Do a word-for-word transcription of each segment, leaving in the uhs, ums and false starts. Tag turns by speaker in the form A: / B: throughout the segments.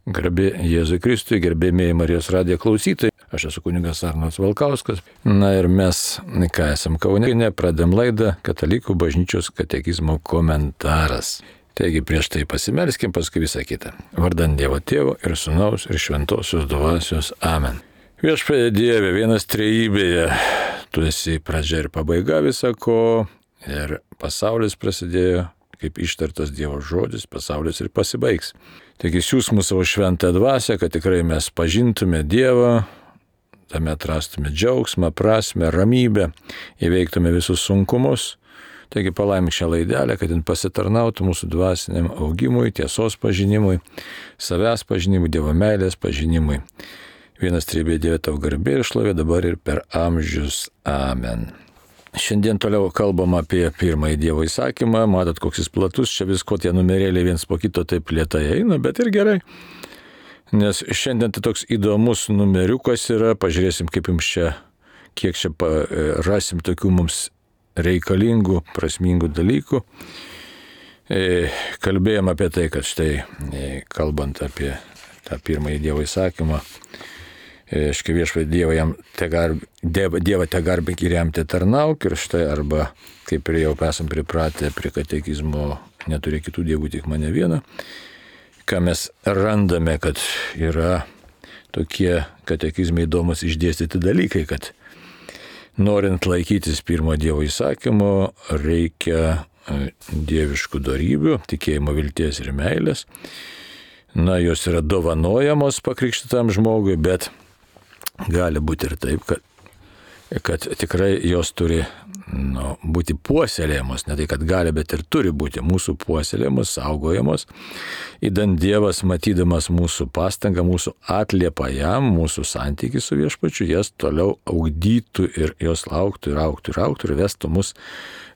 A: Garbė Jėzui Kristui, gerbėmėjai Marijos radijo klausytojai. Aš esu kunigas Arnoldas Valkauskas. Na ir mes, ką esam Kaune, pradėm laidą Katalikų bažnyčios katekizmo komentaras. Taigi prieš tai pasimelskim, paskui visą kitą. Vardan Dievo Tėvo ir Sūnaus ir Šventosios Dvasios. Amen. Viešpatie Dieve, vienas trejybėje, tu esi pradžia ir pabaiga visako, ir pasaulis prasidėjo, kaip ištartas Dievo žodis, pasaulis ir pasibaigs. Taigi siūs mūsų savo šventą dvasią, kad tikrai mes pažintume Dievą, tame atrastume džiaugsmą, prasmę, ramybę, įveiktume visus sunkumus. Taigi palaimink šią laidelę, kad jin pasitarnautų mūsų dvasiniam augimui, tiesos pažinimui, savęs pažinimui, Dievo meilės pažinimui. Vienas trejybėje Dieve tau garbė ir šlovė dabar ir per amžius. Amen. Šiandien toliau kalbam apie pirmąjį Dievo įsakymą. Matot, koks jis platus, čia visko tie numerėliai viens po kito taip lėtai eina, bet ir gerai. Nes šiandien tai toks įdomus numeriukas yra, pažiūrėsim, kaip jums čia, kiek čia rasim tokių mums reikalingų, prasmingų dalykų. Kalbėjom apie tai, kad štai, kalbant apie tą pirmąjį Dievo įsakymą, Škai viešpatie Dievą jam te garb, Dievą te garbink ir jam te tarnauk, ir štai arba, kaip ir jau esam pripratę prie katekizmo, neturi kitų dievų, tik mane vieną, ką mes randame, kad yra tokie katekizmai įdomus išdėstyti dalykai, kad norint laikytis pirmo Dievo įsakymo, reikia dieviškų dorybių, tikėjimo, vilties ir meilės. Na, jos yra dovanojamos pakrikštytam žmogui, bet gali būti ir taip, kad, kad tikrai jos turi nu, būti puoselėjamos, ne tai, kad gali, bet ir turi būti mūsų puoselėjamos, saugojamos. Įdant Dievas, matydamas mūsų pastangą, mūsų atliepą jam, mūsų santykį su viešpačiu, jas toliau augdytų ir jos lauktų ir augtų ir augtų ir vestų mus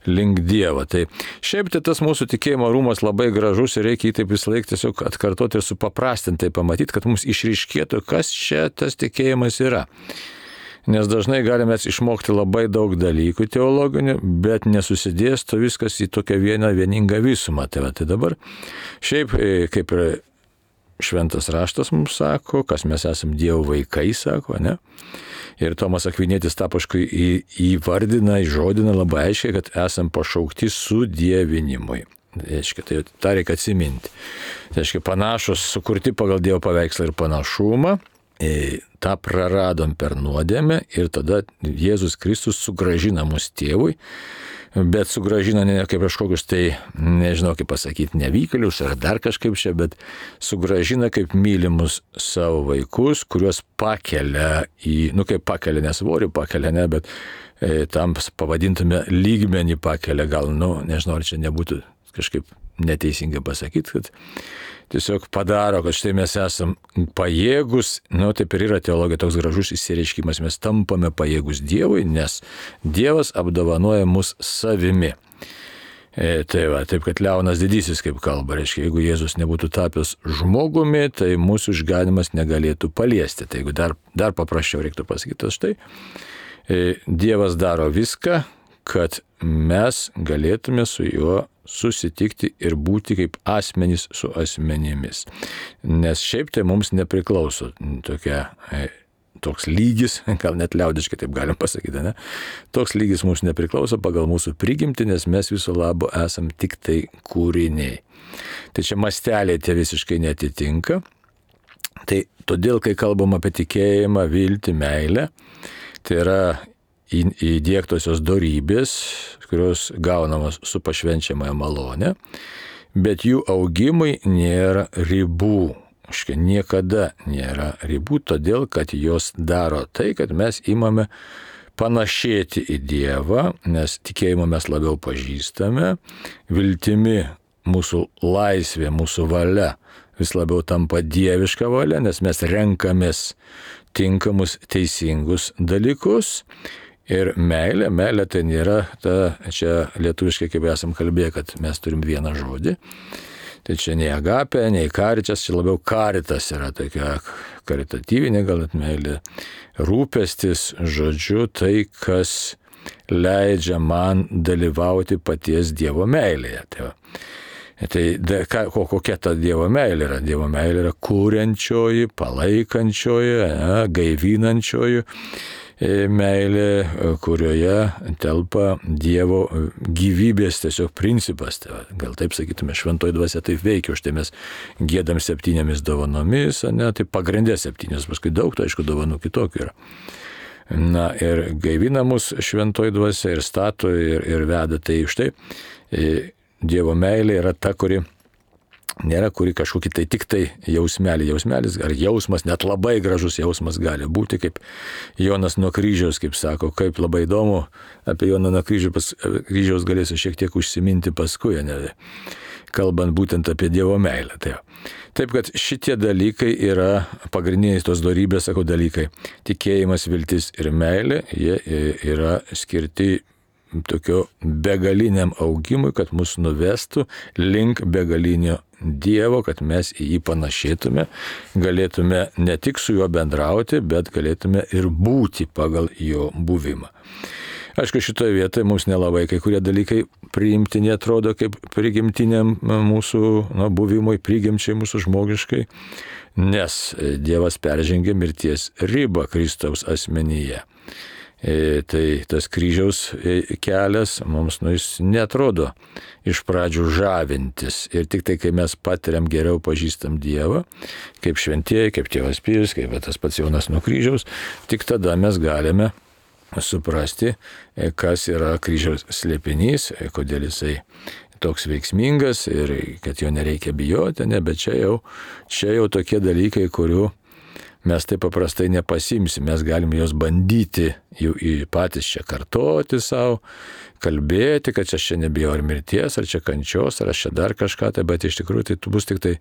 A: link Dievo. Tai šiaip tai tas mūsų tikėjimo rūmas labai gražus ir reikia jį taip visą laiką tiesiog atkartoti ir supaprastintai pamatyti, kad mums išryškėtų, kas čia tas tikėjimas yra. Nes dažnai galime išmokti labai daug dalykų teologinių, bet nesusidėsto viskas į tokią vieną vieningą visumą. Tai, va, tai dabar šiaip kaip ir šventas raštas mums sako, kas mes esam Dievo vaikai, sako, ne? Ir Tomas Akvinietis tą paskui įvardina, įžodina labai aiškiai, kad esam pašaukti sudievinimui. Reiškia, tai tą reikia atsiminti. Tai reiškia, panašus, sukurti pagal Dievo paveikslą ir panašumą, tą praradom per nuodėmę ir tada Jėzus Kristus sugrąžina mus tėvui, bet sugrąžina ne kaip kažkokius tai, nežinau kaip pasakyti, nevykėlius ar dar kažkaip čia, bet sugrąžina kaip mylimus savo vaikus, kuriuos pakelia į, nu kaip pakelia, nesvorį pakelia, ne, bet e, tam pavadintume lygmenį pakelia, gal, nu, nežinau, ar čia nebūtų kažkaip neteisingai pasakyti, kad tiesiog padaro, kad štai mes esam pajėgus, nu taip ir yra teologija toks gražus išsireiškimas, mes tampame pajėgus Dievui, nes Dievas apdovanoja mus savimi. E, tai va, taip kad Leonas Didysis kaip kalba, reiškia, jeigu Jėzus nebūtų tapęs žmogumi, tai mūsų išganimas negalėtų paliesti. Tai jeigu dar, dar paprasčiau reiktų pasakyti, štai e, Dievas daro viską, kad mes galėtume su juo susitikti ir būti kaip asmenys su asmenimis. Nes šiaip tai mums nepriklauso tokia, toks lygis, gal net liaudiškai taip galim pasakyti, ne? Toks lygis mums nepriklauso pagal mūsų prigimtį, nes mes viso labo esam tik tai kūriniai. Tai čia masteliai tie visiškai netitinka. Tai todėl, kai kalbam apie tikėjimą, viltį, meilę, tai yra įdiegtosios dorybės, kurios gaunamos su pašvenčiamąją malonę, bet jų augimui nėra ribų. Škia, niekada nėra ribų, todėl, kad jos daro tai, kad mes imame panašėti į Dievą, nes tikėjimą mes labiau pažįstame, viltimi mūsų laisvė, mūsų valia vis labiau tampa dieviška valia, nes mes renkamės tinkamus, teisingus dalykus. Ir meilė, meilė tai nėra ta, čia lietuviškai kaip esam kalbėję, kad mes turim vieną žodį. Tai čia nei agapė, nei karitas, čia labiau karitas yra tokia karitatyvinė gal net meilė. Rūpestis, žodžiu, tai, kas leidžia man dalyvauti paties Dievo meilėje. Tai va. Tai da, ką, kokia ta Dievo meilė yra? Dievo meilė yra kūrenčioji, palaikančioji, ne, gaivinančioji meilė, kurioje telpa Dievo gyvybės tiesiog principas. Tai, gal taip sakytume, šventoji dvasia taip veikia, už tai mes giedam septynėmis dovanomis, ne, tai pagrindė septynės, paskui daug, tai aišku, dovanų kitokių yra. Na ir gaivina mus šventoji dvasia ir stato ir, ir veda. Tai už tai Dievo meilė yra ta, kuri nėra, kuri kažkokį tai tik tai jausmelį. Jausmelis ar jausmas, net labai gražus jausmas gali būti, kaip Jonas nuo kryžiaus, kaip sako, kaip labai įdomu, apie Joną nuo kryžiaus, kryžiaus galėsiu šiek tiek užsiminti paskui, ne, kalbant būtent apie Dievo meilę. Tai taip, kad šitie dalykai yra pagrindiniai tos dorybės, sako, dalykai. Tikėjimas, viltis ir meilė, jie yra skirti tokio begaliniam augimui, kad mus nuvestų link begalinio Dievo, kad mes į jį panašėtume, galėtume ne tik su juo bendrauti, bet galėtume ir būti pagal jo buvimą. Aišku, šitoje vietoje mums nelabai kai kurie dalykai priimtini atrodo kaip prigimtiniam mūsų nu, buvimui, prigimčiai mūsų žmogiškai, nes Dievas peržengė mirties ribą Kristaus asmenyje. E, tai tas kryžiaus kelias mums nu, jis netrodo iš pradžių žavintis. Ir tik tai, kai mes patiriam geriau pažįstam Dievą, kaip šventieji, kaip tėvas Pijus, kaip tas pats Jonas nuo kryžiaus, tik tada mes galime suprasti, kas yra kryžiaus slėpinys, kodėl jisai toks veiksmingas ir kad jo nereikia bijoti, ne, bet čia jau, čia jau tokie dalykai, kurių mes taip paprastai nepasimsim, mes galime jos bandyti jų patys čia kartoti savo, kalbėti, kad čia čia nebijau ar mirties, ar čia kančios, ar aš čia dar kažką, tai, bet iš tikrųjų tai bus tik tai,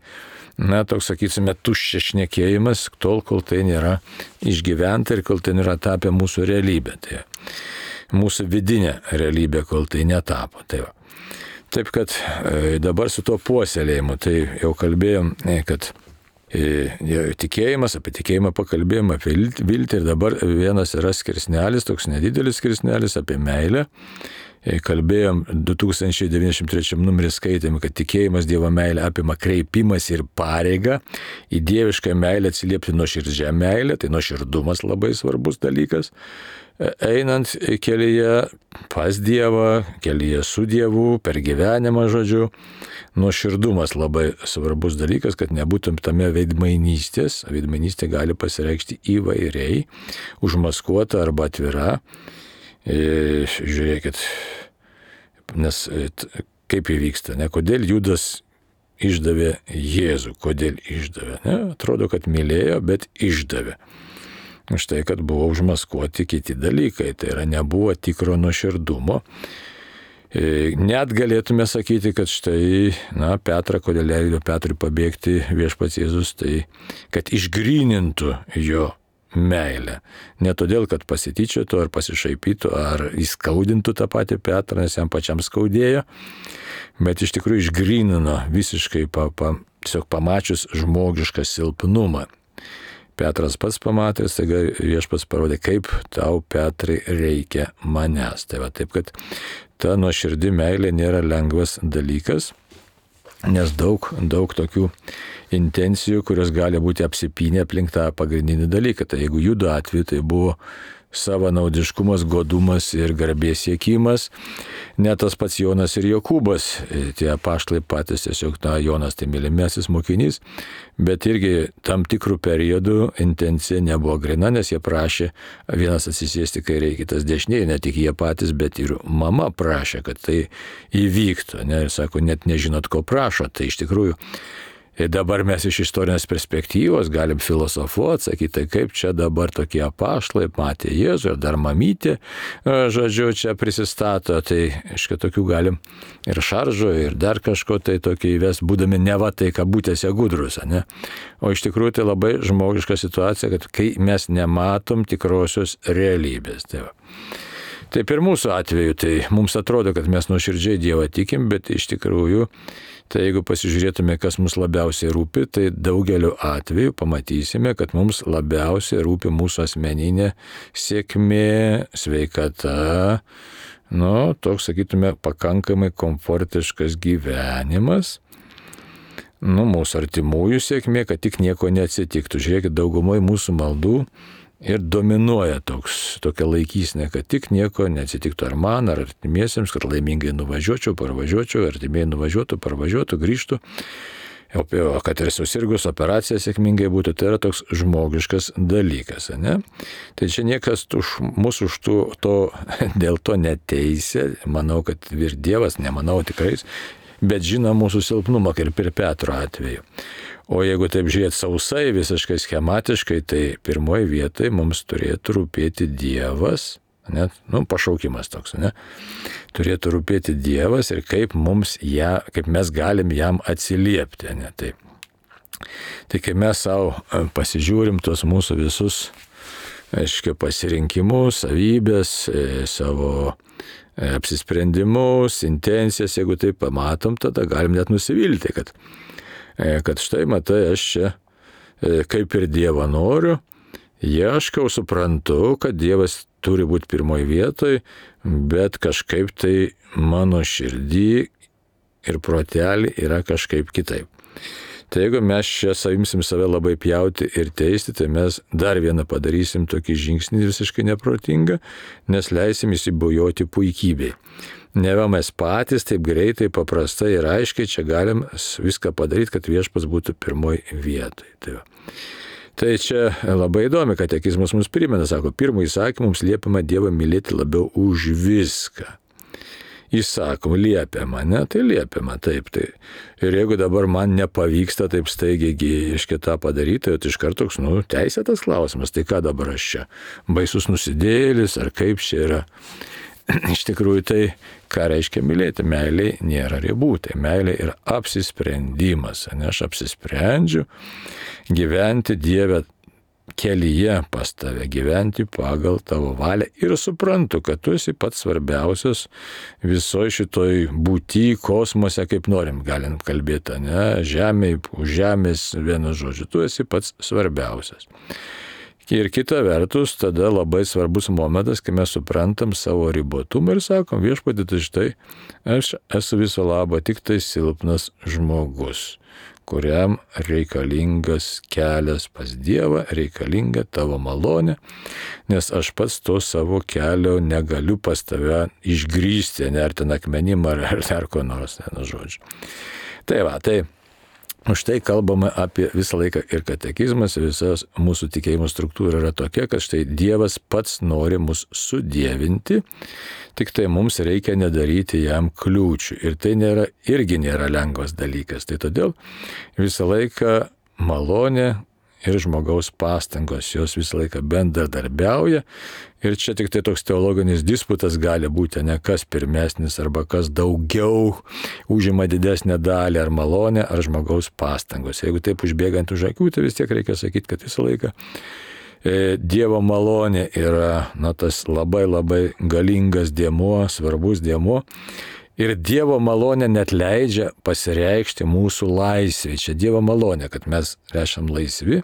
A: na, toks, sakysime, tuščias šnekėjimas, tol, kol tai nėra išgyventa ir kol tai nėra tapę mūsų realybė. Tai mūsų vidinė realybė, kol tai netapo. Tai va. Taip, kad e, dabar su to puoselėjimu, tai jau kalbėjom, e, kad tikėjimas, apie tikėjimą pakalbėjom, apie viltį ir dabar vienas yra skirsnelis, toks nedidelis skirsnelis apie meilę. Kalbėjom du tūkstančiai devyniasdešimt trečiam numerį skaitėme, kad tikėjimas Dievo meilė apima kreipimas ir pareigą, į dievišką meilę atsiliepti nuoširdžią meilę, tai nuoširdumas labai svarbus dalykas. Einant kelyje pas Dievą, kelyje su Dievu, per gyvenimą, žodžiu, nuoširdumas labai svarbus dalykas, kad nebūtum tame veidmainystės. Veidmainystė gali pasireikšti įvairiai, užmaskuota arba atvira. E, žiūrėkit, nes kaip įvyksta, ne? Kodėl Judas išdavė Jėzų, kodėl išdavė? Ne? Atrodo, kad mylėjo, bet išdavė. Štai, kad buvo užmaskuoti kiti dalykai, tai yra nebuvo tikro nuoširdumo. Net galėtume sakyti, kad štai, na, Petrą, kodėl leido Petrui pabėgti viešpats Jėzus, tai kad išgrynintų jo meilę. Ne todėl, kad pasityčiotų ar pasišaipytų, ar įskaudintų tą patį Petrą, nes jam pačiam skaudėjo, bet iš tikrųjų išgrynino visiškai, pa, pa, tiesiog pamačius žmogišką silpnumą. Petras pats pamatęs, taigi viešpats parodė, kaip tau, Petrai, reikia manęs. Tai va, taip, kad ta nuoširdi meilė nėra lengvas dalykas, nes daug, daug tokių intencijų, kurios gali būti apsipynę aplink tą pagrindinį dalyką. Tai jeigu Judo atveju tai buvo savanaudiškumas, godumas ir garbės siekimas, net tas pats Jonas ir Jokūbas, tie apaštalai patys tiesiog, na, Jonas tai mylimiausias mokinys, bet irgi tam tikrų periodų intencija nebuvo grina, nes jie prašė vienas atsisėsti kairėje, kitas dešinėje, ne tik jie patys, bet ir mama prašė, kad tai įvyktų, ne, ir sako, net nežinot, ko prašo, tai iš tikrųjų. Ir dabar mes iš istorinės perspektyvos galim filosofuoti, sakyti, tai kaip čia dabar tokie apaštalai matė Jėzų ir dar mamytė, žodžiu, čia prisistato, tai iškai tokių galim ir šaržo, ir dar kažko tai tokį įves, būdami neva tai kabutėse gudrus, ne? O iš tikrųjų tai labai žmogiška situacija, kad kai mes nematom tikrosios realybės. Tai va. Taip ir mūsų atveju, tai mums atrodo, kad mes nuoširdžiai Dievą tikim, bet iš tikrųjų, tai jeigu pasižiūrėtume, kas mums labiausiai rūpi, tai daugeliu atveju pamatysime, kad mums labiausiai rūpi mūsų asmeninė sėkmė, sveikata, nu, toks, sakytume, pakankamai komfortiškas gyvenimas. nu, mūsų artimųjų sėkmė, kad tik nieko neatsitiktų. Žiūrėkit, daugumoje mūsų maldų ir dominuoja toks, tokia laikysnė, kad tik nieko neatsitiktų ar man, ar artimiesiems, kad laimingai nuvažiuočiau, parvažiuočiau, artimieji nuvažiuotų, parvažiuotų, grįžtų. O kad ir susirgus operacija sėkmingai būtų, tai yra toks žmogiškas dalykas, ne? Tai čia niekas už, mūsų už to, to, dėl to neteisė, manau, kad ir Dievas, nemanau tikrai, bet žino mūsų silpnumą, kaip ir Petro atveju. O jeigu taip žiūrėt sausai, visiškai schematiškai, tai pirmoji vietai mums turėtų rūpėti Dievas, net, nu, pašaukimas toks, ne? Turėtų rūpėti Dievas ir kaip mums ją, kaip mes galim jam atsiliepti, ne? Tai, tai kai mes savo pasižiūrim tos mūsų visus, aiškiai, pasirinkimus, savybės, savo apsisprendimus, intencijas, jeigu tai pamatom, tada galim net nusivilti, kad, kad štai matai, aš čia kaip ir Dievą noriu, ieškau, suprantu, kad Dievas turi būti pirmoje vietoje, bet kažkaip tai mano širdį ir protelį yra kažkaip kitaip. Tai jeigu mes čia savimsim save labai pjauti ir teisti, tai mes dar vieną padarysim tokį žingsnį visiškai neprotingą, nes leisim įsibujoti puikybei. Neva mes patys taip greitai, paprastai ir aiškiai čia galim viską padaryti, kad viešpats būtų pirmoje vietoje. Tai va. Tai čia labai įdomi, kad katekizmas mums primena, sako, pirmą įsakymą mums liepiama Dievą mylėti labiau už viską. Įsakom, liepiama, ne? Tai liepiama, taip. Tai. Ir jeigu dabar man nepavyksta taip staigiai iš kitą padaryti, tai iš karto toks, nu, teisėtas klausimas, tai ką dabar aš čia? Baisus nusidėlis, ar kaip čia yra? Iš tikrųjų, tai ką reiškia mylėti? Meilė nėra ribų, tai meilė yra apsisprendimas. Ne, aš apsisprendžiu gyventi Dieve kelyje pas tave, gyventi pagal tavo valią ir suprantu, kad tu esi pats svarbiausias visoje šitoj būty, kosmose, kaip norim, galim kalbėti, ne, žemėje, už žemės, vienu žodžiu, tu esi pats svarbiausias. Ir kita vertus, tada labai svarbus momentas, kai mes suprantam savo ribotumą ir sakom, viešpatie, tai štai, aš esu viso labo tik tai silpnas žmogus, kuriam reikalingas kelias pas Dievą, reikalinga tavo malonė, nes aš pats to savo kelio negaliu pas tave išgrįsti, ne ar ten akmenim, ar, ar dar ko nors, ne, žodžiu. Tai va, tai už tai kalbame apie visą laiką ir katekizmas, visas mūsų tikėjimo struktūra yra tokia, kad štai Dievas pats nori mus sudievinti, tik tai mums reikia nedaryti jam kliūčių. Ir tai nėra, irgi nėra lengvas dalykas. Tai todėl visą laiką malonė ir žmogaus pastangos, jos visą laiką bendradarbiauja. Ir čia tik tai toks teologinis disputas gali būti, ne kas pirmesnis arba kas daugiau užima didesnę dalį, ar malonė, ar žmogaus pastangos. Jeigu taip užbėgant už akių, tai vis tiek reikia sakyti, kad visą laiką e, Dievo malonė yra, na, tas labai labai galingas dėmuo, svarbus dėmuo. Ir Dievo malonė net leidžia pasireikšti mūsų laisvė. Čia Dievo malonė, kad mes esam laisvi,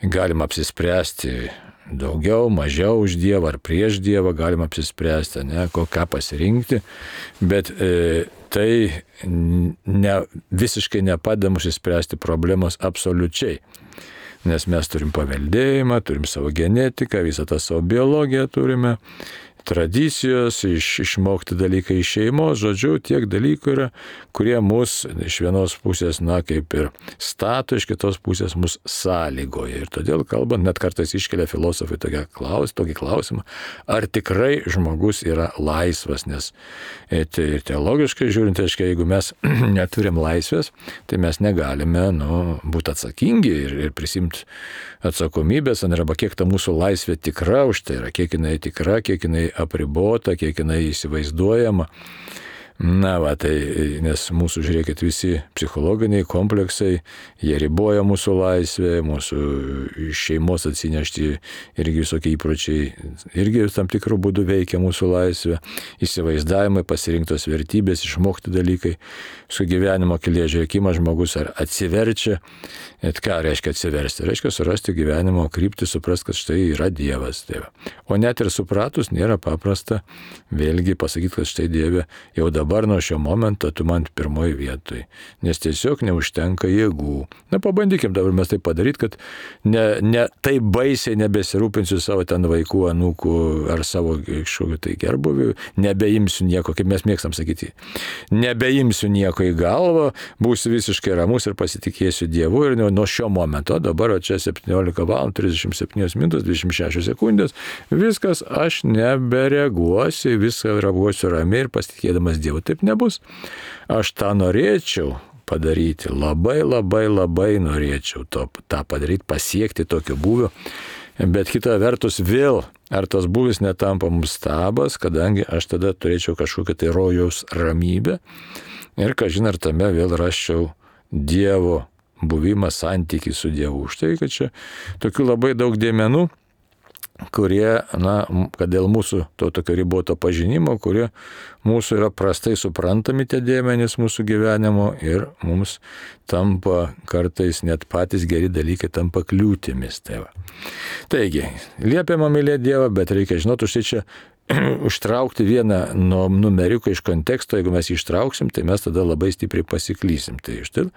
A: galim apsispręsti daugiau, mažiau už Dievą ar prieš Dievą, galim apsispręsti, ne, ką pasirinkti, bet e, tai ne, visiškai nepadeda mums išspręsti problemos absoliučiai. Nes mes turim paveldėjimą, turim savo genetiką, visą tą savo biologiją turime, tradicijos, iš, išmokti dalykai iš šeimos, žodžiu, tiek dalykų yra, kurie mus iš vienos pusės, na, kaip ir stato, iš kitos pusės mus sąlygoja. Ir todėl, kalbant, net kartais iškelia filosofai tokį klaus, tokį klausimą, ar tikrai žmogus yra laisvas, nes tai teologiškai žiūrint, tai jeigu mes neturim laisvės, tai mes negalime, nu, būti atsakingi ir, ir prisimti atsakomybės, arba kiek ta mūsų laisvė tikra už tai yra, kiek jinai tikra, kiek jinai apribota, kiek jinai įsivaizduojama. Na, va, tai, nes mūsų, žiūrėkit, visi psichologiniai kompleksai, jie riboja mūsų laisvę, mūsų šeimos atsinešti irgi visokie įpročiai, irgi tam tikrų būdų veikia mūsų laisvę, įsivaizdavimai, pasirinktos vertybės, išmokti dalykai, su gyvenimo kelyje žiūrėkimą žmogus ar atsiverčia, et ką reiškia atsiversti, reiškia surasti gyvenimo kryptį, suprasti, kad štai yra Dievas. Tai o net ir supratus nėra paprasta vėlgi pasakyti, kad štai Dieve jau dabar dabar nuo šio momento tu man pirmoji vietoj, nes tiesiog neužtenka jėgų. Na, pabandykim dabar mes tai padaryti, kad ne, ne taip baisiai nebesirūpinsiu savo ten vaikų, anūkų ar savo kažkokiu tai gerbuviu, nebeimsiu nieko, kaip mes mėgstam sakyti, nebeimsiu nieko į galvą, būsiu visiškai ramus ir pasitikėsiu Dievu ir nuo šio momento, dabar čia septyniolika valandų trisdešimt septynios minutės dvidešimt šešios sekundės, viskas, aš nebereaguosiu, viską reaguosiu ramiai ir pasitikėdamas Dievu. Taip nebus. Aš tą norėčiau padaryti, labai labai labai norėčiau to, tą padaryti, pasiekti tokio būvio, bet kita vertus vėl, ar tas būvis netampa mums stabas, kadangi aš tada turėčiau kažkokią tai rojaus ramybę ir kažin ar tame vėl rasčiau Dievo buvimą, santykį su Dievu. Štai, kad čia tokių labai daug dėmenų, kurie, na, kad dėl mūsų to tokio riboto pažinimo, kurie mūsų yra prastai suprantami tie dėmenys mūsų gyvenimo ir mums tampa kartais net patys geri dalykai tampa kliūtimis. Tai va. Taigi, liepiama mylėti Dievą, bet reikia žinoti, štai čia užtraukti vieną numeriuką iš konteksto, jeigu mes jį ištrauksim, tai mes tada labai stipriai pasiklysim. Tai štai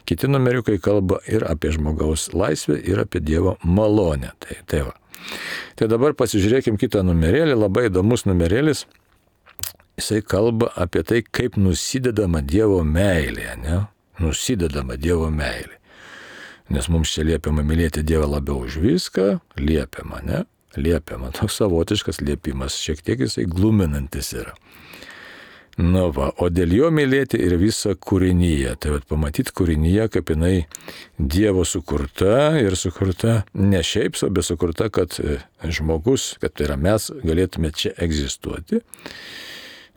A: kiti numeriukai kalba ir apie žmogaus laisvę, ir apie Dievo malonę. Tai, tai va. Tai dabar pasižiūrėkim kitą numerėlį, labai įdomus numerėlis. Jisai kalba apie tai, kaip nusidedama Dievo meilė, ne? Nusidedama Dievo meilė. Nes mums čia liepiama mylėti Dievą labiau už viską, liepiama, ne? Liepiama, toks savotiškas liepimas, šiek tiek jisai gluminantis yra. Na va, o dėl jo mylėti ir visą kūrinyje. Tai vat pamatyti kūrinyje, kaip jinai Dievo sukurta ir sukurta ne šiaip, bet sukurta, kad žmogus, kad tai yra mes, galėtume čia egzistuoti.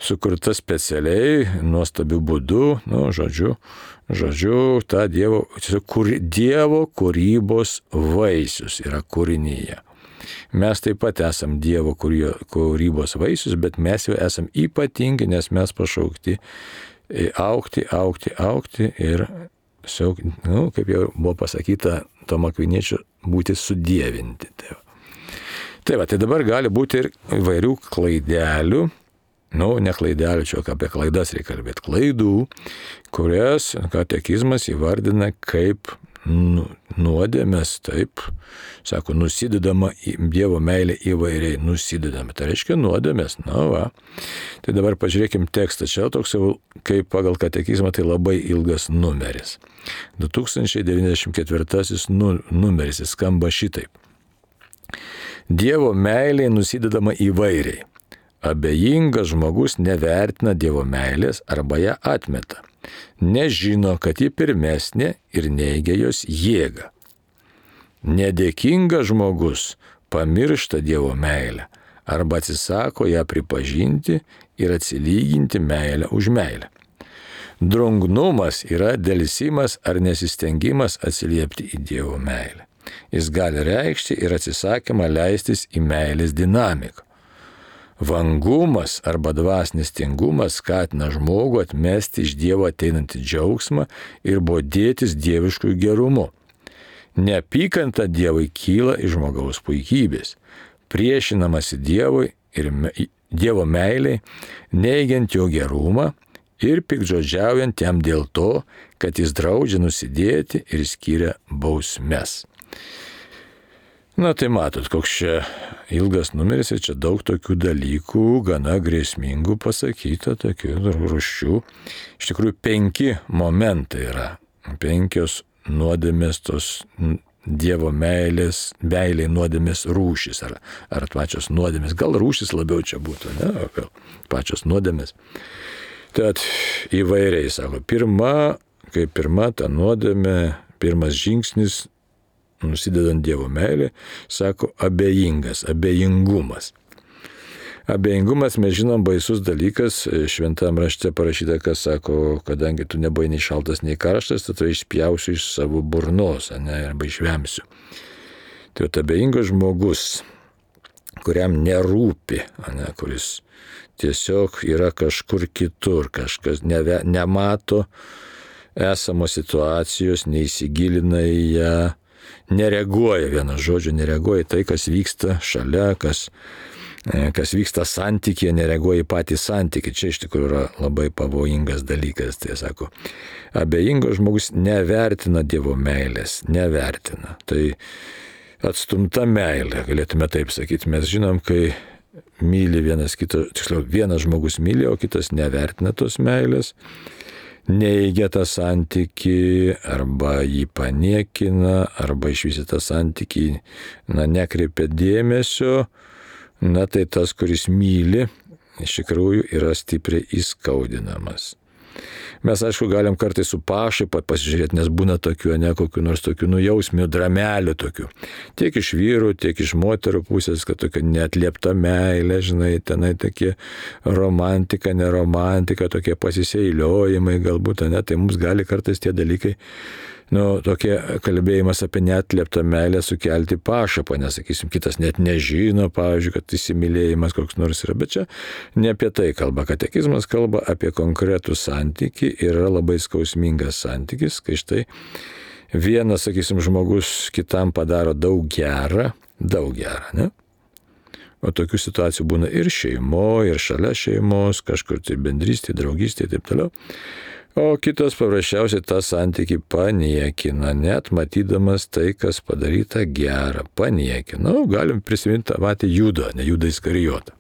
A: Sukurta specialiai, nuostabiu būdu, nu, žodžiu, žodžiu, ta Dievo, kur, Dievo kūrybos vaisius yra kūrinyje. Mes taip pat esam Dievo kūrybos vaisius, bet mes jau esam ypatingi, nes mes pašaukti augti, augti, augti ir, nu, kaip jau buvo pasakyta Tomo Akviniečio, būti sudievinti. Tai va. Tai va, tai dabar gali būti ir įvairių klaidelių, nu, ne klaidelių, čia apie klaidas reikia kalbėti, klaidų, kurias katekizmas įvardina kaip nuodėmės, taip, sako, nusidedama Dievo meilė įvairiai, nusidedama. Tai reiškia nuodėmės, na va. Tai dabar pažiūrėkim tekstą, čia toks jau, kaip pagal katekizmą, tai labai ilgas numeris. du tūkstančiai devyniasdešimt ketvirtasis numeris, jis skamba šitaip. Dievo meilė nusidedama įvairiai. Abejingas žmogus nevertina Dievo meilės arba ją atmeta. Nežino, kad ji pirmesnė ir neigia jos jėgą. Nedėkingas žmogus pamiršta Dievo meilę arba atsisako ją pripažinti ir atsilyginti meilę už meilę. Drungnumas yra delsimas ar nesistengimas atsiliepti į Dievo meilę. Jis gali reikšti ir atsisakymą leistis į meilės dinamiką. Vangumas arba dvasinis tingumas skatina žmogų atmesti iš Dievo ateinantį džiaugsmą ir bodėtis dieviškųjų gerumu. Neapykanta Dievui kyla iš žmogaus puikybės, priešinamasi Dievui ir me, Dievo meiliai, neigiant jo gerumą ir piktžodžiaujant jam dėl to, kad jis draudžia nusidėti ir skiria bausmes. Na tai matot, koks čia ilgas numeris ir čia daug tokių dalykų, gana grėsmingų pasakyta, tokių rūšių. Iš tikrųjų, penki momentai yra, penkios nuodėmės tos Dievo meilės, meiliai nuodėmės rūšys, ar, ar pačios nuodėmės, gal rūšys labiau čia būtų, ne, o gal pačios nuodėmės. Tad įvairiai, sako, pirma, kaip pirma ta nuodėmė, pirmas žingsnis, nusidedant Dievo meilį, sako abejingas, abejingumas. Abejingumas, mes žinom, baisus dalykas, šventam rašte parašyta, kas sako, kadangi tu nebuvai nei šaltas, nei karštas, tai išspjausiu iš savo burnos, ne, arba išvemsiu. Tai abejingas žmogus, kuriam nerūpi, ne, kuris tiesiog yra kažkur kitur, kažkas neve, nemato esamos situacijos, neįsigilina į ją, nereaguoja, vienas žodžiu, nereaguoja į tai, kas vyksta šalia, kas kas vyksta santykėje, nereaguoja į patį santykį. Čia iš tikrųjų yra labai pavojingas dalykas. Tai sako, abejingas žmogus nevertina Dievo meilės, nevertina. Tai atstumta meilė, galėtume taip sakyti. Mes žinom, kai myli vienas kito, tiksliau, vienas žmogus myli, o kitas nevertina tos meilės, neigia tą santykį, arba jį paniekina, arba išvis tą santykį, na, nekreipia dėmesio, na, tai tas, kuris myli, iš tikrųjų yra stipriai įskaudinamas. Mes, aišku, galim kartais su pašaipa pasižiūrėti, nes būna tokių, ne kokių nors tokių nujausmių, dramelių tokių. Tiek iš vyrų, tiek iš moterų pusės, kad tokia neatliepta meilė, žinai, tenai tokie romantika, neromantika, tokie pasiseiliojimai galbūt, ne, tai mums gali kartais tie dalykai, nu, tokie kalbėjimas apie neatlieptą meilę sukelti pašapą, nesakysim, kitas net nežino, pavyzdžiui, kad įsimylėjimas koks nors yra, bet čia ne apie tai kalba. Katekizmas kalba apie konkretų santykį ir yra labai skausmingas santykis, kai štai vienas, sakysim, žmogus kitam padaro daug gerą, daug gerą, ne? O tokių situacijų būna ir šeimoje, ir šalia šeimos, kažkur tai bendrystė, draugystė ir taip toliau. O kitas paprasčiausiai tą santykį paniekina, net matydamas tai, kas padaryta gera, paniekina. Nu, galim prisiminti tą patį Judą, ne Judą Iskarijotą.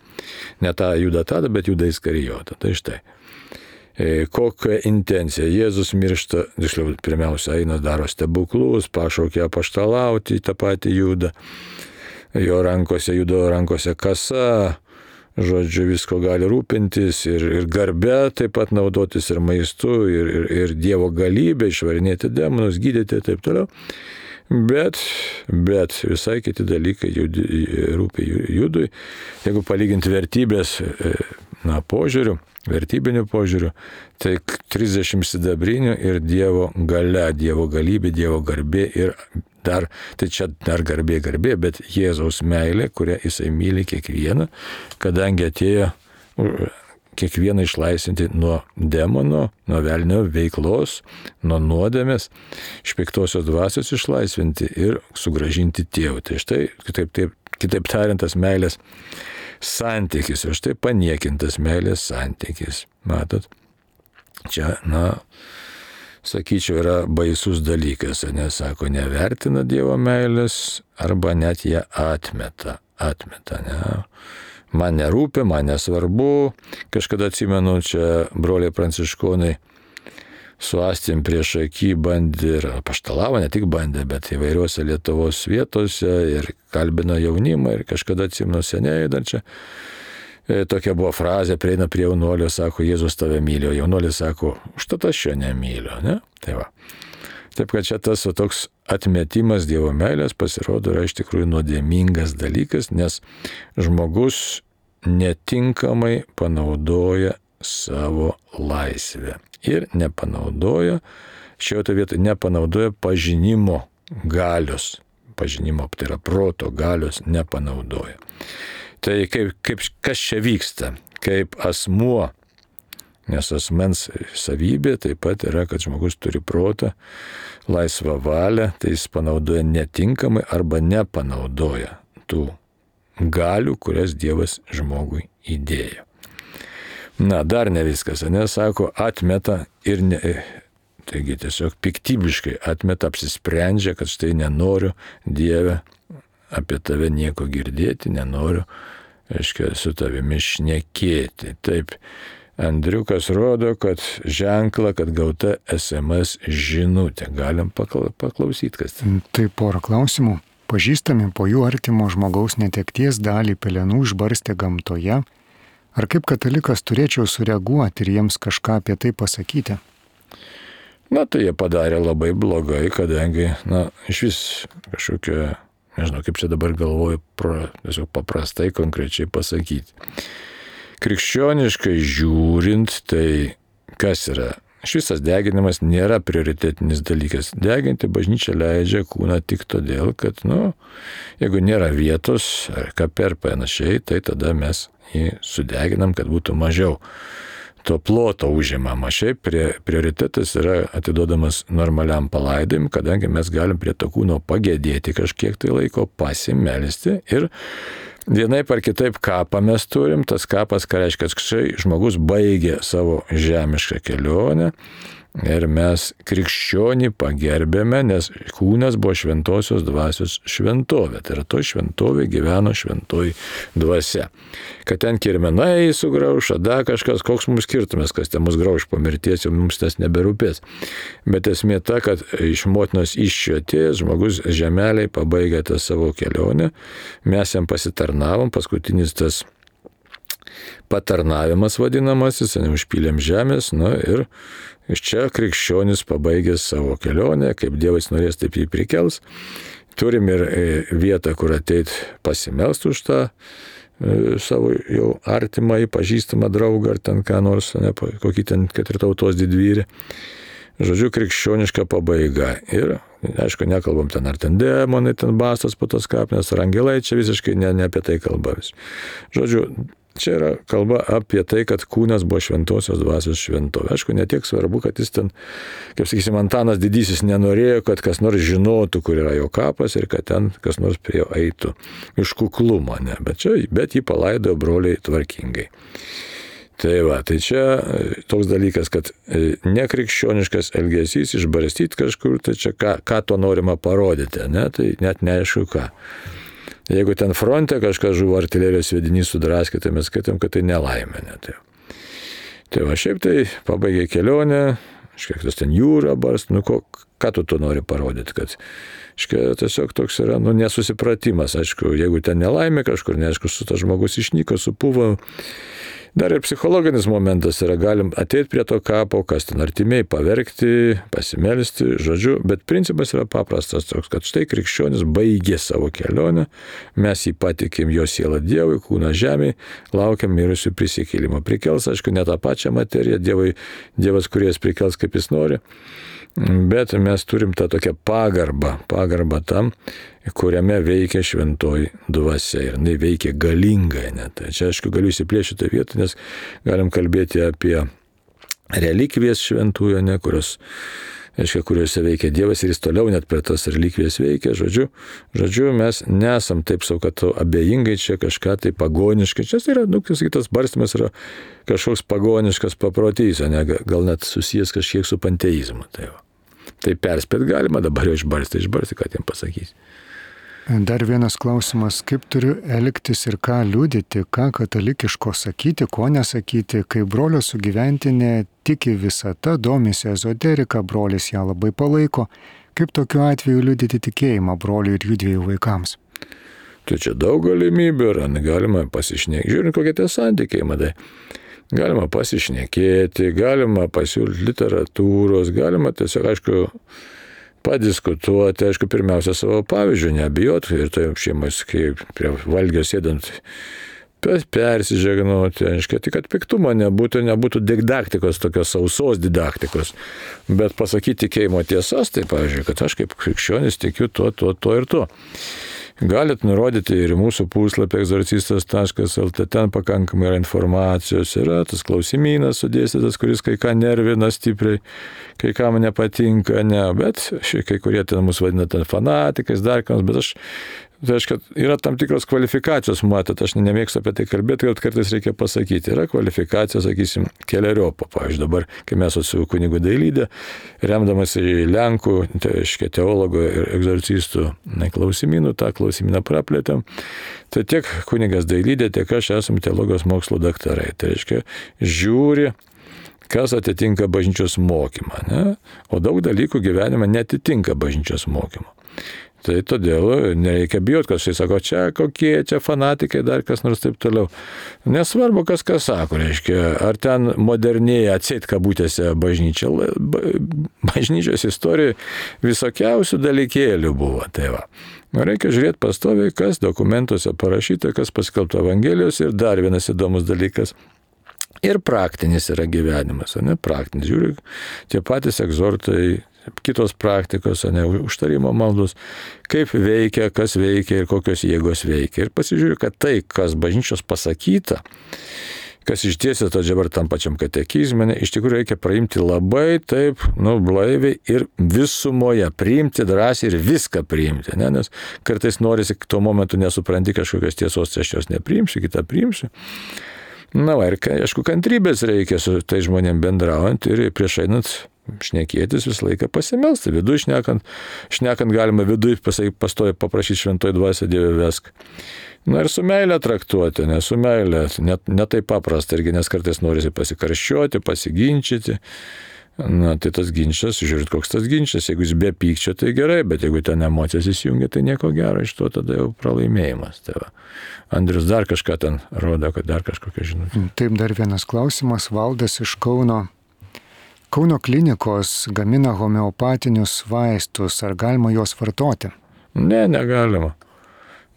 A: Ne tą Judą Tadą, bet Judą Iskarijotą. Tai štai. E, kokia intencija? Jėzus miršta, tiksliau, pirmiausia, eina, daro stebuklus, pašaukia apaštalauti tą patį Judą. Jo rankose, Judo rankose kasa, žodžiu, visko gali rūpintis ir, ir garbe taip pat naudotis ir maistu, ir, ir, ir Dievo galybė, išvarinėti demonus, gydyti ir taip toliau. Bet, bet visai kiti dalykai judi, rūpi Judui. Jeigu palyginti vertybės, na, požiūrių, vertybinių požiūrių, tai trisdešimt sidabrinių ir Dievo galia, Dievo galybė, Dievo garbė ir dar, tai čia dar garbė, garbė, bet Jėzaus meilė, kurią jisai myli kiekvieną, kadangi atėjo kiekvieną išlaisvinti nuo demono, nuo velnio veiklos, nuo nuodėmės, iš piktosios dvasios išlaisvinti ir sugrąžinti tėvui. Tai štai, kitaip, taip, kitaip tariant, tas meilės santykis, ir štai paniekintas meilės santykis. Matot, čia, na, sakyčiau, yra baisus dalykas, nes, sako, nevertina Dievo meilės arba net ją atmeta, atmeta, ne. Man nerūpi, man nesvarbu. Kažkada atsimenu, čia broliai pranciškonai su Astim prieš akį bandė ir apaštalavo, ne tik bandė, bet įvairiuose Lietuvos vietose ir kalbino jaunimą ir kažkada atsimenu seniai dar čia. E, tokia buvo frazė, prieina prie jaunuolio, sako, Jėzus tave myli, o jaunuolis sako, užtat aš jo nemyliu, ne? Tai va. Taip, kad čia tas va, toks atmetimas Dievo meilės pasirodo yra iš tikrųjų nuodėmingas dalykas, nes žmogus netinkamai panaudoja savo laisvę ir nepanaudoja, šioje vietoje nepanaudoja pažinimo galios, pažinimo, tai yra proto galios nepanaudoja. Tai kaip, kaip, kas čia vyksta, kaip asmuo, nes asmens savybė taip pat yra, kad žmogus turi protą, laisvą valią, tai jis panaudoja netinkamai arba nepanaudoja tų galių, kurias Dievas žmogui įdėjo. Na, dar ne viskas, nes, sako, atmeta ir, ne, taigi tiesiog piktybiškai atmeta, apsisprendžia, kad štai nenoriu, Dieve, apie tave nieko girdėti, nenoriu, aiškiai, su tavimi šnekėti. Taip, Andriukas rodo, kad ženklą, kad gauta es em es žinutė. Galim paklausyti, kas tai.
B: Tai porą klausimų. Pažįstami po jų artimo žmogaus netekties dalį pelenų išbarstė gamtoje. Ar kaip katalikas turėčiau sureaguoti ir jiems kažką apie tai pasakyti?
A: Na, tai jie padarė labai blogai, kadangi, na, iš vis kažkokia, nežinau, kaip čia dabar galvoju, pra, tiesiog paprastai, konkrečiai pasakyti. Krikščioniškai žiūrint, tai kas yra? Šis deginimas nėra prioritetinis dalykas. Deginti bažnyčia leidžia kūną tik todėl, kad, nu, jeigu nėra vietos ar kape ar panašiai, tai tada mes jį sudeginam, kad būtų mažiau to ploto užimama. Šiaip prioritetas yra atiduodamas normaliam palaidojimui, kadangi mes galim prie to kūno pagėdėti kažkiek tai laiko, pasimelsti ir vienaip ar kitaip kapą mes turim, tas kapas, ką reiškia, kad štai žmogus baigė savo žemišką kelionę ir mes krikščionį pagerbėme, nes kūnas buvo šventosios dvasios šventovė. Tai yra to šventovė gyveno šventoji dvasia. Kad ten kirmenai sugrauš, da kažkas, koks mums skirtumas, kas ten mus grauš po mirties, jau mums tas neberūpės. Bet esmė ta, kad iš motinos iščio atėjęs žmogus žemeliai pabaigė tą savo kelionę, mes jam pasitarnavom, paskutinis tas patarnavimas vadinamasis, neužpylėm žemės, na ir iš čia krikščionis pabaigė savo kelionę, kaip Dievas norės, taip jį prikels. Turim ir vietą, kur ateit pasimelst už tą savo jau artimą, pažįstamą draugą, ar ten ką nors, ne, kokį ten, kad ir tautos didvyrį. Žodžiu, krikščioniška pabaiga. Ir, aišku, nekalbam ten, ar ten demonai, ten bastos po tos kapinės, ar angelai, čia visiškai ne, ne apie tai kalba vis. Žodžiu, čia yra kalba apie tai, kad kūnas buvo šventosios dvasios šventovė. Aišku, netiek svarbu, kad jis ten, kaip sakysim, Antanas Didysis nenorėjo, kad kas nors žinotų, kur yra jo kapas ir kad ten kas nors prie jo eitų iš kuklumo, ne. Bet, čia, bet jį palaidojo broliai tvarkingai. Tai va, tai čia toks dalykas, kad nekrikščioniškas elgesys, išbarstyti kažkur, tai čia ką, ką to norima parodyti, ne, tai net neaišku ką. Jeigu ten fronte kažkas žuvo artilerijos sviedinys sudraskė, tai mes skaitom, kad tai nelaimė. Ne, tai. tai va, šiaip tai pabaigė kelionę, škiek tas ten jūra barst, nu ko, ką tu to nori parodyti, kad škiek tiesiog toks yra, nu, nesusipratimas, aišku, jeigu ten nelaimė kažkur, neaišku, su tas žmogus išnyko, supuvo. Dar ir psichologinis momentas yra, galim ateiti prie to kapo, kas ten artimiai, paverkti, pasimelsti, žodžiu, bet principas yra paprastas toks, kad štai krikščionis baigė savo kelionę, mes jį patikim jo sielą Dievui, kūną žemėje, laukiam mirusių prisikėlimo. Prikels, aišku, ne tą pačią materiją, Dievui, Dievas, kuris prikels, kaip jis nori, bet mes turim tą tokią pagarbą, pagarbą tam, kuriame veikia šventoji dvasia ir jinai veikia galingai. Ne? Tai čia, aišku, galiu įsiplėšti tą vietą, nes galim kalbėti apie relikvijas šventųjų, ne, kurios, aišku, kuriuose veikia Dievas ir jis toliau net prie tas relikvijas veikia. Žodžiu, žodžiu mes nesam taip savo, kad abejingai čia kažką tai pagoniškai. Čia yra, nu, tas barstymas yra kažkoks pagoniškas paprotys, ne, gal net susijęs kažkiek su panteizmu. Tai, tai perspėt galima, dabar jau išbarsti, išbarsti, ką tiem pasakys.
B: Dar vienas klausimas, kaip turiu elgtis ir ką liudyti, ką katalikiško sakyti, ko nesakyti, kai brolio sugyventinė tiki visata, domisi ezoterika, brolis ją labai palaiko, kaip tokiu atveju liudyti tikėjimą broliui ir jų dviejų vaikams?
A: Tai čia daug galimybių yra, galima pasišnekėti, žiūrint kokie tie santykiai, matai. Galima pasišnekėti, galima pasiūlyti literatūros, galima tiesiog, aišku, padiskutuoti, aišku, pirmiausia savo pavyzdžių, neabijot ir tai šeimais, kai prie valgio sėdant, persižegnoti, aišku, tik kad piktumo nebūtų, nebūtų didaktikos, tokios sausos didaktikos, bet pasakyti tikėjimo tiesas, tai, pavyzdžiui, kad aš kaip krikščionis tikiu tuo, tuo, tuo ir tuo. Galit nurodyti ir mūsų puslapį egzorcistas taškas el tė, ten pakankamai yra informacijos, yra tas klausimynas sudėstytas, kuris kai ką nervina stipriai, kai kam nepatinka, ne, bet kai kurie ten mus vadina ten fanatikais, dar kams, bet aš, tai aišku, yra tam tikros kvalifikacijos, matot, aš nemėgstu apie tai kalbėti, kad kartais reikia pasakyti, yra kvalifikacija, sakysim, keleriopo, pavyzdžiui, dabar, kai mes su kunigu Dailydė, remdamas į Lenkų, tai aiškiai, teologo ir egzorcistų klausimynų, tą klausimyną praplėtėm, tai tiek kunigas Dailydė, tiek aš esame teologijos mokslo daktarai, tai aiškiai, žiūri, kas atitinka bažnyčios mokymą, ne? O daug dalykų gyvenime netitinka bažnyčios mokymo. Tai todėl nereikia bijoti, kad štai sako, čia kokie, čia fanatikai, dar kas nors taip toliau. Nesvarbu, kas ką sako, reiškia, ar ten modernėja atseit kabutėse bažnyčia. Bažnyčios istorijoje visokiausių dalykėlių buvo. Tai va. Reikia žiūrėti pastoviai, kas dokumentuose parašyta, kas paskelbta Evangelijos ir dar vienas įdomus dalykas. Ir praktinis yra gyvenimas, ne praktinis. Žiūrėk, tie patys egzortai, kitos praktikos, ne, užtarimo maldos, kaip veikia, kas veikia ir kokios jėgos veikia. Ir pasižiūrėjau, kad tai, kas bažnyčios pasakyta, kas išdėstė to dabar tam pačiam katekizme, iš tikrųjų reikia priimti labai taip, nu, blaiviai ir visumoje, priimti drąsiai ir viską priimti, ne? Nes kartais norisi, tuo momentu nesupranti kažkokios tiesos, tai aš jos nepriimsiu, kitą priimsiu. Na, va, ir aišku, kantrybės reikia su tai žmonėm bendraujant ir prieš einant šnekėtis visą laiką pasimelsti. Vidui šnekant, šnekant galima vidui pastovi paprašyti šventoj dvasia Dieve vesk. Na ir su meilė traktuoti, ne su meilė, net ne taip paprasta, irgi nes kartais norisi pasikarščiuoti, pasiginčyti. Na, tai tas ginčas, žiūrėt, koks tas ginčas, jeigu jis be pykčio, tai gerai, bet jeigu ten emocijas įsijungia, tai nieko gero, iš to tada jau pralaimėjimas. Tai va. Andrius dar kažką ten rodo, kad dar kažkokia žinutė.
B: Taip, dar vienas klausimas, Valdas iš Kauno. Kauno klinikos gamina homeopatinius vaistus, ar galima juos vartoti?
A: Ne, negalima.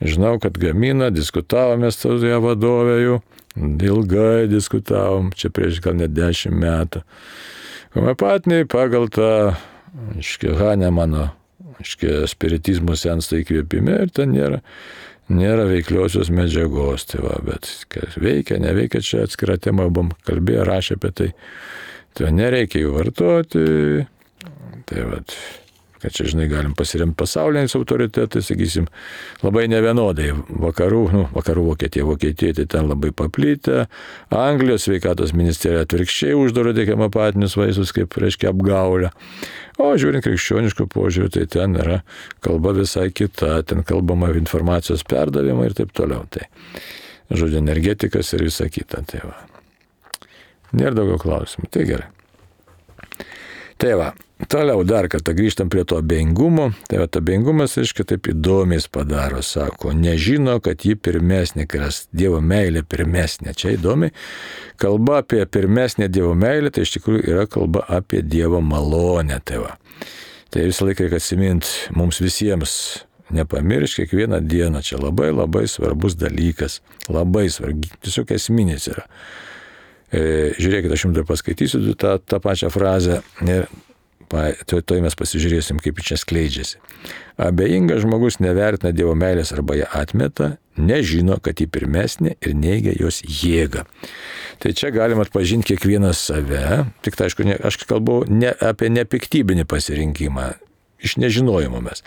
A: Žinau, kad gamina, diskutavome su ją vadovė jų, ilgai diskutavom, čia prieš gal net dešimt metų. Homeopatiniai pagal tą, aiškiai, Hanemano, aiškiai, spiritizmo sensta įkvėpime ir ten nėra, nėra veikliosios medžiagos, tai va, bet veikia, neveikia, čia atskira tema, buvom kalbėję, rašė apie tai, tai nereikia jų vartoti, tai va, kad čia, žinai, galim pasiremti pasauliniais autoritetais, sakysim, labai nevienodai. Vakarų, nu, vakarų Vokietija, Vokietija, tai ten labai paplitę. Anglijos sveikatos ministerija atvirkščiai uždaro tik homeopatinius vaistus, kaip, reiškia, apgaulę. O žiūrint krikščioniško požiūrį, tai ten yra kalba visai kita, ten kalbama informacijos perdavimą ir taip toliau. Tai, žodžiu, energetikas ir visa kita. Tai va. Nėra daugiau klausimų. Tai gerai. Tai va, toliau dar kartą grįžtam prie to abejingumo. Tai va, abejingumas, aiškiai, taip įdomiai padaro, sako, nežino, kad ji pirmesnė, kad Dievo meilė pirmesnė. Čia įdomi. Kalba apie pirmesnę Dievo meilę, tai iš tikrųjų yra kalba apie Dievo malonę. Tai va. Tai visą laiką reikia atsimint mums visiems, nepamiršk kiekvieną dieną. Čia labai labai svarbus dalykas. Labai svarbus, tiesiog esminis yra. Žiūrėkit, aš jums dar paskaitysiu tą, tą pačią frazę ir to, to mes pasižiūrėsim, kaip čia skleidžiasi. Abejingas žmogus nevertina Dievo meilės arba ją atmeta, nežino, kad ji pirmesnė ir neigia jos jėgą. Tai čia galima atpažinti kiekvieną save, tik tai aišku, ne, aš kalbu ne, apie nepiktybinį pasirinkimą, iš nežinojimo mes.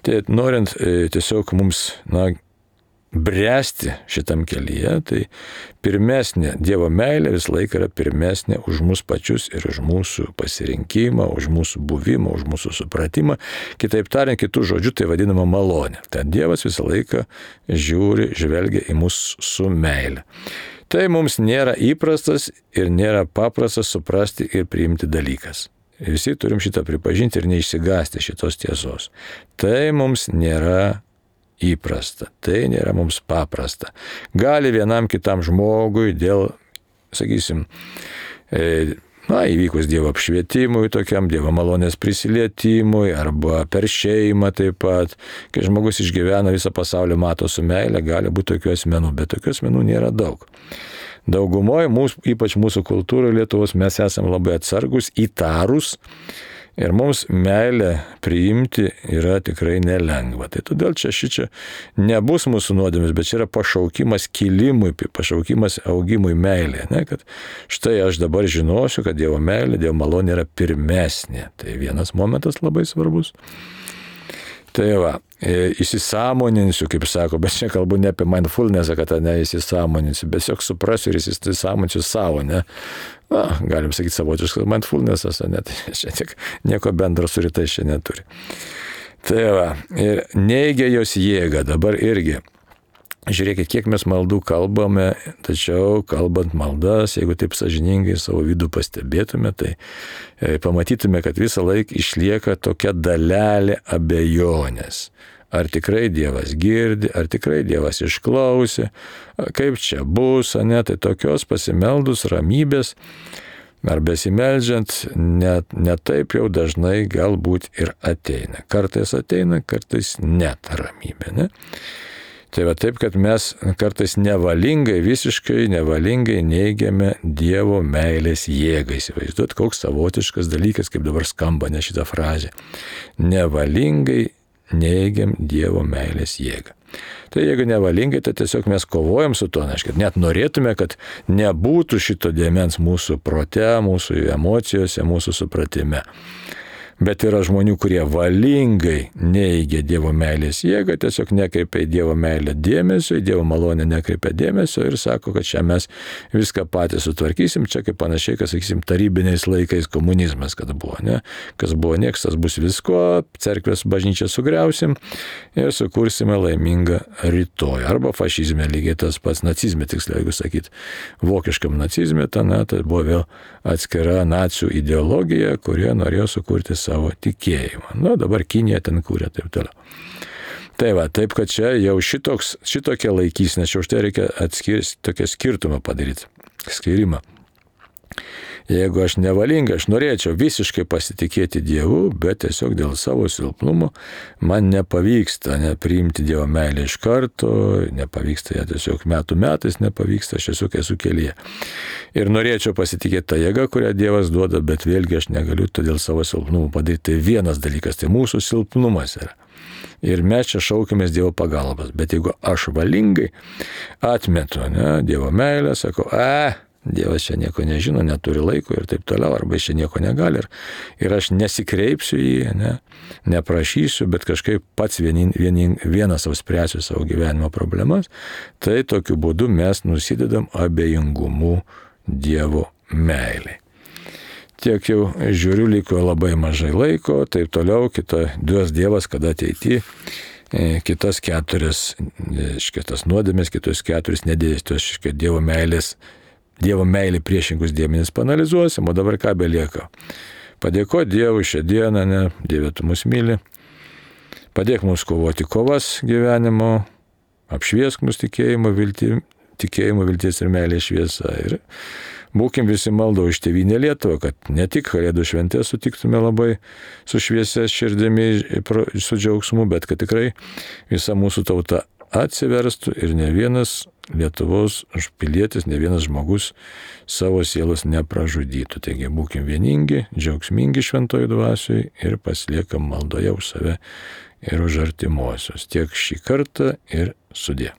A: Tai norint e, tiesiog mums, na, bręsti šitam kelyje, tai pirmesnė Dievo meilė visą laiką yra pirmesnė už mus pačius ir už mūsų pasirinkimą, už mūsų buvimą, už mūsų supratimą. Kitaip tariant, kitų žodžių tai vadinama malonė. Tad Dievas visą laiką žiūri, žvelgia į mus su meile. Tai mums nėra įprastas ir nėra paprastas suprasti ir priimti dalykas. Visi turim šitą pripažinti ir neišsigąsti šitos tiesos. Tai mums nėra įprasta, tai nėra mums paprasta. Gali vienam kitam žmogui dėl, sakysim, e, na, įvykus Dievo apšvietimui, tokiam Dievo malonės prisilietimui, arba per šeimą taip pat, kai žmogus išgyvena visą pasaulį, mato su meile, gali būti tokių asmenų, bet tokių asmenų nėra daug. Daugumoje, mūsų, ypač mūsų kultūroje Lietuvos, mes esame labai atsargus, įtarus, ir mums meilę priimti yra tikrai nelengva. Tai todėl čia šičia nebus mūsų nuodėmės, bet čia yra pašaukimas kilimui, pašaukimas augimui meilė. Ne? Kad štai aš dabar žinosiu, kad Dievo meilė, Dievo malonė yra pirmesnė. Tai vienas momentas labai svarbus. Tai va, įsisąmoninsiu, kaip sako, bet čia kalbu ne apie mindfulnessą, kad ne įsisąmoninsiu, bet tiesiog suprasiu ir įsisąmoninsiu savo, ne? Na, galim sakyti savotiškas mindfulnessas, ne? Tai čia tik nieko bendro su rytais čia neturi. Tai va, ir neigia jos jėgą, dabar irgi. Žiūrėkit, kiek mes maldų kalbame, tačiau kalbant maldas, jeigu taip sąžiningai savo vidų pastebėtume, tai e, pamatytume, kad visą laiką išlieka tokia dalelė abejonės. Ar tikrai Dievas girdi, ar tikrai Dievas išklausė, kaip čia bus, ne, tai tokios pasimeldus ramybės, ar besimeldžiant, net, net taip jau dažnai galbūt ir ateina. Kartais ateina, kartais net ramybė, ne? Tai va taip, kad mes kartais nevalingai, visiškai nevalingai neigiame Dievo meilės jėgą. Įsivaizduot, koks savotiškas dalykas, kaip dabar skamba ne šitą frazę. Nevalingai neigiam Dievo meilės jėgą. Tai jeigu nevalingai, tai tiesiog mes kovojam su to, aiškiai, net norėtume, kad nebūtų šito dėmens mūsų prote, mūsų emocijose, mūsų supratime. Bet yra žmonių, kurie valingai neigia Dievo meilės jėgą, tiesiog nekreipia į Dievo meilę dėmesio, į Dievo malonę nekreipia dėmesio ir sako, kad čia mes viską patys sutvarkysim, čia kaip panašiai, kad sakysim, tarybiniais laikais komunizmas, kad buvo, ne? Kas buvo nieks, tas bus visko, cerkvės bažnyčią sugriausim ir sukursime laimingą rytoj. Arba fašizme lygiai tas pats, nacizme tiksliau, jeigu sakyt, vokiškam nacizme, ta, na, tai buvo vėl atskira nacių ideologija, kurie norėjo sukurti savo tikėjimą. Nu, dabar Kinija ten kūrė, taip toliau. Tai va, taip, kad čia jau šitoks, šitokia laikysnė, čia už tai reikia atskirti, tokią skirtumą padaryti, skirimą. Jeigu aš nevalinga, aš norėčiau visiškai pasitikėti Dievu, bet tiesiog dėl savo silpnumo man nepavyksta nepriimti Dievo meilę iš karto, nepavyksta ją tiesiog metų metais, nepavyksta, aš tiesiog esu kelyje. Ir norėčiau pasitikėti tą jėgą, kurią Dievas duoda, bet vėlgi aš negaliu to dėl savo silpnumo padaryti. Tai vienas dalykas, tai mūsų silpnumas yra. Ir mes čia šaukimės Dievo pagalbos. Bet jeigu aš valingai atmetu, ne, Dievo meilę, sakau, a, Dievas čia nieko nežino, neturi laiko ir taip toliau, arba jis čia nieko negali ir, ir aš nesikreipsiu į jį, ne, neprašysiu, bet kažkaip pats vienin, vienin, vienas savo spręsiu savo gyvenimo problemas, tai tokiu būdu mes nusidedam abejingumu Dievo meiliai. Tiek jau žiūriu, liko labai mažai laiko, taip toliau, kita duos Dievas, kada ateity, kitas keturias, kitas nuodėmės, kitus keturis nedėstos, Dievo meilės, Dievo meilį priešingus dėmenis panalizuosim, o dabar ką belieka. Padėko Dievui šią dieną, ne, Dieve, tu mus myli. Padėk mums kovoti kovas gyvenimo, apšviesk mus tikėjimo, vilti, tikėjimo vilties ir meilės šviesa. Ir būkim visi maldo už tėvynę Lietuvą, kad ne tik Kalėdų šventę sutiktume labai su šviesia širdimi, su džiaugsmu, bet kad tikrai visa mūsų tauta atsiverstų ir ne vienas Lietuvos pilietis, ne vienas žmogus savo sielos nepražudytų. Taigi būkim vieningi, džiaugsmingi šventojoj dvasioj ir pasiliekam maldoje už save ir už artimuosius. Tiek šį kartą ir sudie.